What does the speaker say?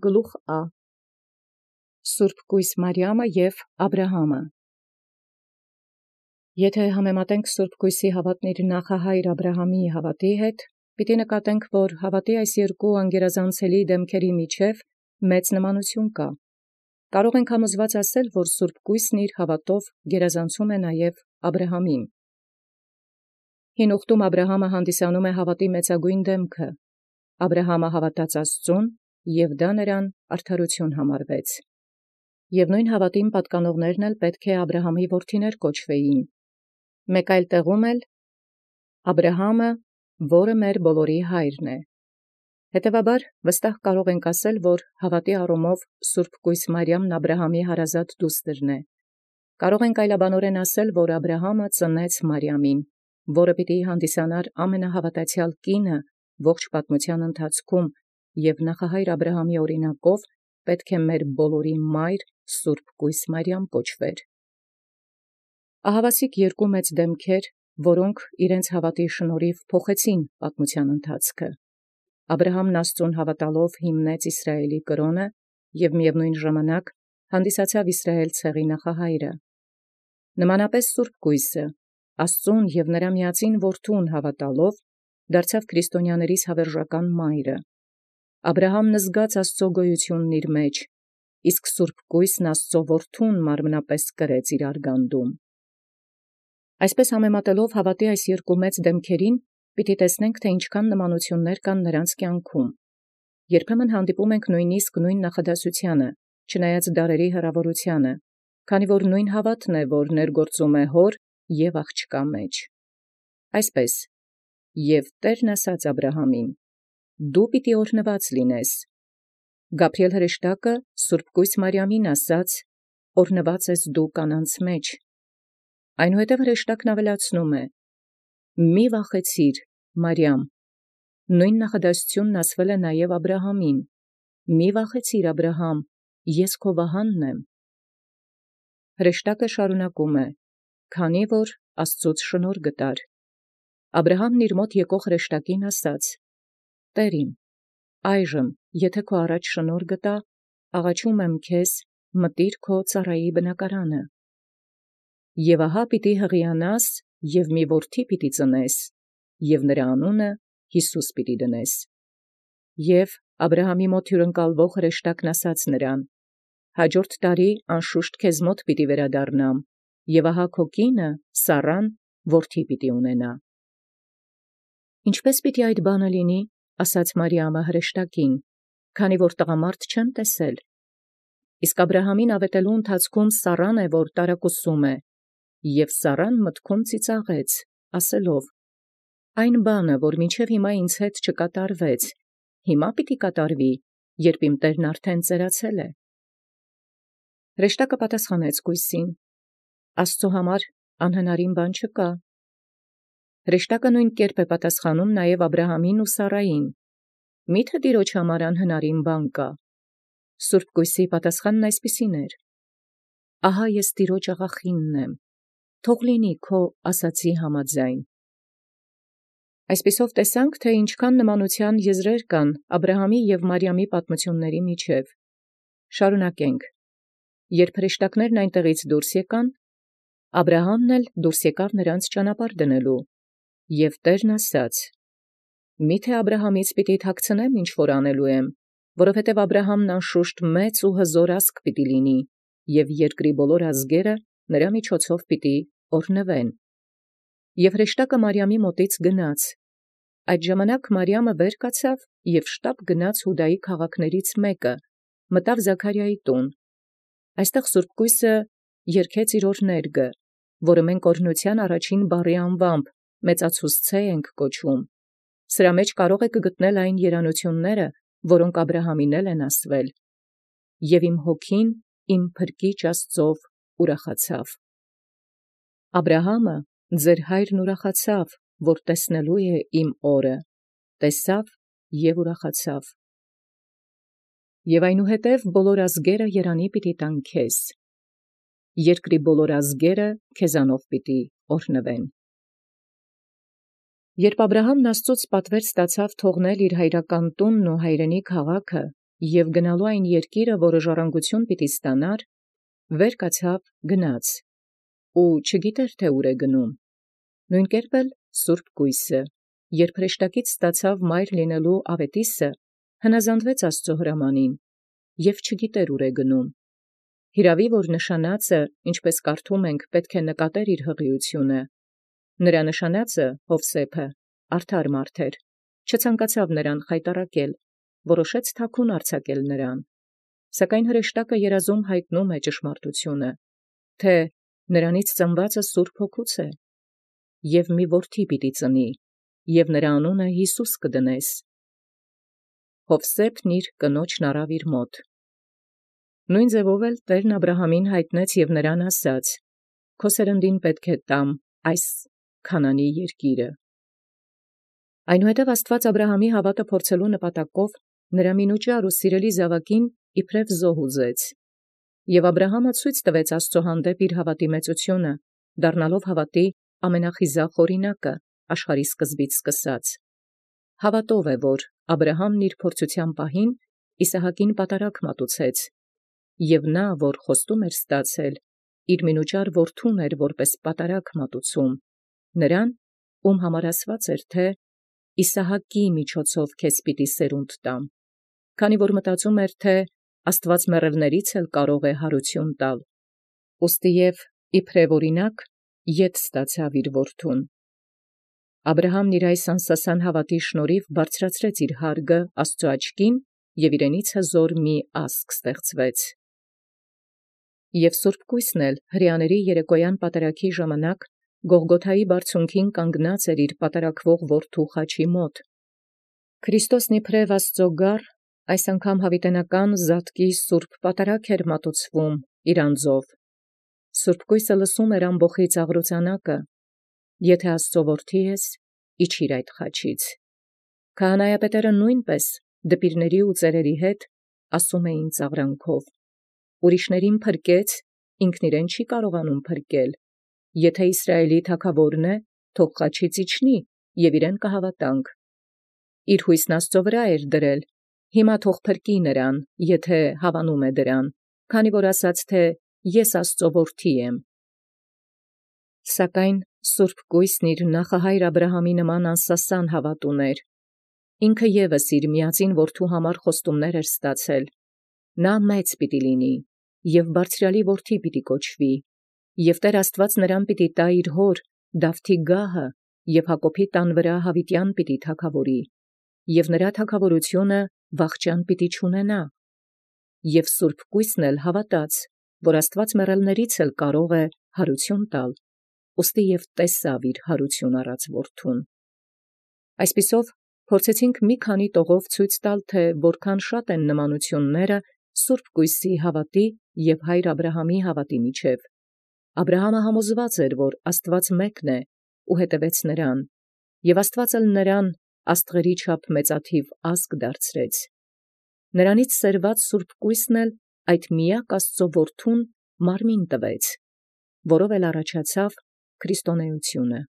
գլուխ Ա Սուրբ Կույս Մարիամը և Աբրահամը։ Եթե համեմատենք Սուրբ Կույսի հավատն իր նախահայր Աբրահամի հավատի հետ, պիտի նկատենք, որ հավատի այս երկու անգերազանցելի դեմքերի միջև մեծ նմանություն կա։ Կարող ենք համոզված ասել, որ Սուրբ Կույսն իր հավատով գերազանցում է նաև Աբրահամին։ Հին ուխտում Աբրահամը հանդիսանում է հավատի մեծագույն դեմքը։ Աբրահամը հավատաց Աստծուն, և դա նրան արդարություն համարվեց։ Եվ նույն հավատին պատկանողներն էլ պետք է Աբրահամի որդիներ կոչվեին։ Մեկ այլ տեղում էլ Աբրահամը, որը մեր բոլորի հայրն է։ Հետևաբար վստահ կարող ենք ասել, որ հավատի առումով Սուրբ Կույս Մարիամն Աբրահամի հարազատ դուստրն է։ Կարող ենք այլաբանորեն ասել, որ Աբրահամը ծնեց Մարիամին, որը պիտի հանդիսանար ամենահավատացյալ կինը ողջ պատմության ընթացքում, և նախահայր Աբրահամի օրինակով պետք է մեր բոլորի մայր Սուրբ Կույս Մարիամ կոչվեր։ Ահավասիկ երկու մեծ դեմքեր, որոնք իրենց հավատի շնորհիվ փոխեցին պատմության ընթացքը։ Աբրահամն Աստծուն հավատալով հիմնեց Իսրայելի կրոնը և միևնույն ժամանակ հանդիսացավ Իսրայել ցեղի նախահայրը։ Նմանապես Սուրբ Կույսը Աստծուն և նրա միածին որդուն հավատալով դարձավ քրիստոնյաներիս հավերժական մայրը։ Աբրահամն զգաց Աստծո գոյությունն իր մեջ, իսկ Սուրբ Կույսն Աստծո որդուն մարմնապես կրեց իր արգանդում։ Այսպես համեմատելով հավատի այս երկու մեծ դեմքերին, պիտի տեսնենք, թե ինչքան նմանություններ կան նրանց կյանքում։ Երբեմն հանդիպում ենք նույնիսկ նույն նախադասությանը, չնայած դարերի հեռավորությանը, քանի որ նույն հավատն է, որ ներգործում է հոր և աղջկա մեջ։ Այսպես, և Տերն ասաց Աբրահամին. «Դու պիտի օրհնված լինես»։ Գաբրիել հրեշտակը Սուրբ Կույս Մարիամին ասաց. «Օրհնված ես դու կանանց մեջ»։ Այնուհետև հրեշտակն ավելացնում է. «Մի վախեցիր, Մարիամ»։ Նույն նախադասությունն ասվել է նաև Աբրահամին. «Մի վախեցիր, Աբրահամ, ես քո վահանն եմ»։ Հրեշտակը շարունակում է. «Քանի որ Աստծուց շնորհ գտար»։ Աբրահամն իր մոտ եկող հրեշտակին ասաց. «Տեր իմ, այժմ, եթե քո առաջ շնորհ գտա, աղաչում եմ քեզ, մտիր քո ծառայի բնակարանը։ Եվ ահա պիտի հղիանաս, և մի որդի պիտի ծնես, և նրա անունը Յիսուս պիտի դնես»։ Եվ Աբրահամի մոտ հյուրընկալվող հրեշտակն ասաց նրան. «Հաջորդ տարի անշուշտ քեզ մոտ պիտի վերադառնամ, և ահա քո կինը Սառան որդի պիտի ունենա»։ «Ինչպե՞ս պիտի այդ բանը լինի», ասաց Մարիամը հրեշտակին, «քանի որ տղամարդ չեմ տեսել»։ Իսկ Աբրահամին ավետելու ընթացքում Սառան է, որ տարակուսում է, և Սառան մտքում ծիծաղեց, ասելով. «Այն բանը, որ մինչև հիմա ինձ հետ չկատարվեց, հիմա պիտի կատարվի, երբ իմ տերն արդեն ծերացել է»։ Հրեշտակը պատասխանեց կույսին. «Աստծո համար անհնարին բան չկա»։ Հրեշտակը նույն կերպ է պատասխանում նաև Աբրահամին ու Սառային. «Մի՞թե Տիրոջ համար անհնարին բան կա»։ Սուրբ Կույսի պատասխանն այսպիսին էր. «Ահա ես Տիրոջ աղախինն եմ, թող լինի քո ասացի համաձայն»։ Այսպիսով տեսանք, թե ինչքան նմանության եզրեր կան Աբրահամի և Մարիամի պատմությունների միջև։ Շարունակենք։ Երբ հրեշտակներն այնտեղից դուրս եկան, Աբրահամն էլ դուրս եկավ նրանց ճանապարհ դնելու, և Տերն ասաց. «Մի՞թե Աբրահամից պիտի թաքցնեմ, ինչ որ անելու եմ, որովհետև Աբրահամն անշուշտ մեծ ու հզոր ազգ պիտի լինի, և երկրի բոլոր ազգերը նրա միջոցով պիտի օրհնվեն»։ Եվ հրեշտակը Մարիամի մոտից գնաց։ Այդ ժամանակ Մարիամը վեր կացավ և շտապ գնաց Հուդայի քաղաքներից մեկը, մտավ Զաքարիայի տուն։ Այստեղ Սուրբ Կույսը երգեց իր օրհներգը, որը մենք օրհնության առաջին բառի անվամբ մեծացուսցե ենք կոչում։ Սրա մեջ կարող եք գտնել այն երանությունները, որոնք Աբրահամին են ասվել. «Եվ իմ հոգին իմ փրկիչ Աստծով ուրախացավ»։ Աբրահամը, ձեր հայրն ուրախացավ, որ տեսնելու է իմ օրը, տեսավ և ուրախացավ։ Եվ այնուհետև բոլոր ազգերը երանի պիտի տան քեզ. երկրի բոլոր ազգերը քեզանով պիտի օրհնվեն։ Երբ Աբրահամն Աստծուց պատվեր ստացավ թողնել իր հայրական տունն ու հայրենի քաղաքը Եւ գնալու այն երկիրը, որը ժառանգություն պիտի ստանար, վեր կացավ գնաց, ու չգիտեր թե ուր է գնում։ Նոյն կերպ սուրբ կոյսը, երբ հրեշտակից ստացավ մայր լինելու ավետիսը, հնազանդվեց Աստուծո հրամանին, եւ չգիտեր ուր է գնում։ Հիրաւի որ նշանածը, ինչպես կարդում ենք, պետք է նկատեր իր հղիությունը։ Նրա նշանածը Յովսեփը արդար մարդ էր, չցանկացավ նրան խայտառակել, որոշեց թաքուն արձակել նրան։ Սակայն հրեշտակը երազում հայտնում է ճշմարտությունը, թե նրանից ծնվածը Սուրբ Հոգուց է, եւ մի որդի պիտի ծնի, եւ նրա անունը Յիսուս կդնես։ Յովսեփն իր կնոջն առավ իր մոտ։ Նույն ձևով էլ Տերն Աբրահամին հայտնեց եւ նրան ասաց. «Քո սերնդին պետք է տամ այս Քանանի երկիրը»։ Այնուհետև Աստուած Աբրահամի հավատը փորձելու նպատակով նրա մինուճար ու սիրելի զաւակին իբրև զոհ ուզեց։ Եւ Աբրահամը ցույց տվեց Աստծո հանդեպ իր հավատի մեծությունը, դառնալով հավատի ամենախիզախ օրինակը աշխարհի սկզբից սկսած։ Հավատով է, որ Աբրահամն իր փորձության պահին Իսահակին պատարագ մատուցեց, եւ նա, որ խոստում էր ստացել, իր մինուճար որդուն էր որպես պատարագ մատուցում, նրան, ում համար ասված էր, թե Իսահակի միջոցով քեզ պիտի սերունդ տամ, քանի որ մտածում էր, թե Աստուած մեռելներից էլ կարող է հարություն տալ, ուստի եւ իբրև օրինակ ետ ստացավ իր որդուն։ Աբրահամն իր այս անսասան հավատի շնորհիվ բարձրացրեց իր հարգը Աստծո աչքին, եւ իրենից հզոր մի ազգ ստեղծվեց։ Եւ Սուրբ Կոյսն էլ հրեաների երեկոյան պատարագի ժամանակ Գողգոթայի բարձունքին կանգնած էր իր պատարագվող որդու խաչի մոտ։ Քրիստոսն իբրև Աստծո գառ, այս անգամ հավիտենական զատկի սուրբ պատարագ էր մատուցվում իր անձով։ Սուրբ Կոյսը լսում էր ամբոխի ծաղրոցանակը. «Եթե Աստծո որդի ես, իջիր այդ խաչից»։ Քահանայապետերը նույնպես դպիրների ու ծերերի հետ ասում էին ծաղրանքով. «Ուրիշներին փրկեց, ինքն իրեն չի կարողանում փրկել. եթե Իսրայելի թագաւորն է, թող խաչից իջնի, եւ իրեն կհավատանք»։ Իր հույսն Աստծո վրա էր դրել, հիմա թող փրկի նրան, եթե հավանում է դրան, քանի որ ասաց, թե «Ես Աստծո որդի եմ»։ Սակայն Սուրբ Կոյսն իր նախահայր Աբրահամի նման անսասան հավատ ուներ։ Ինքը եւս իր միածին որդու համար խոստումներ էր ստացել. նա մեծ պիտի լինի, եւ բարձրալի որդի պիտի կոչվի, եւ Տեր Աստուած նրան պիտի տա իր հոր Դավթի գահը, եւ Հակոբի տան վրա յաւիտեան պիտի թագաւորի, եւ նրա թագաւորութիւնը վախճան պիտի չունենա։ Եւ Սուրբ Կոյսն էլ հավատաց, որ Աստուած մեռելներից էլ կարող է հարություն տալ, ուստի եւ տեսաւ իր հարություն առած որդուն։ Այսպիսով փորձեցինք մի քանի տողով ցույց տալ, թե որքան շատ են նմանությունները Սուրբ Կոյսի հավատի եւ հայր Աբրահամի հավատի միջև։ Աբրահամը համոզված էր, որ Աստուած մեկն է, ու հետևեց նրան, եւ Աստուած էլ նրան աստղերի չափ մեծաթիվ ազգ դարձրեց։ Նրանից սերված Սուրբ Կոյսն էլ այդ միակ Աստծո որդուն մարմին տվեց, որով էլ առաջացավ քրիստոնեությունը։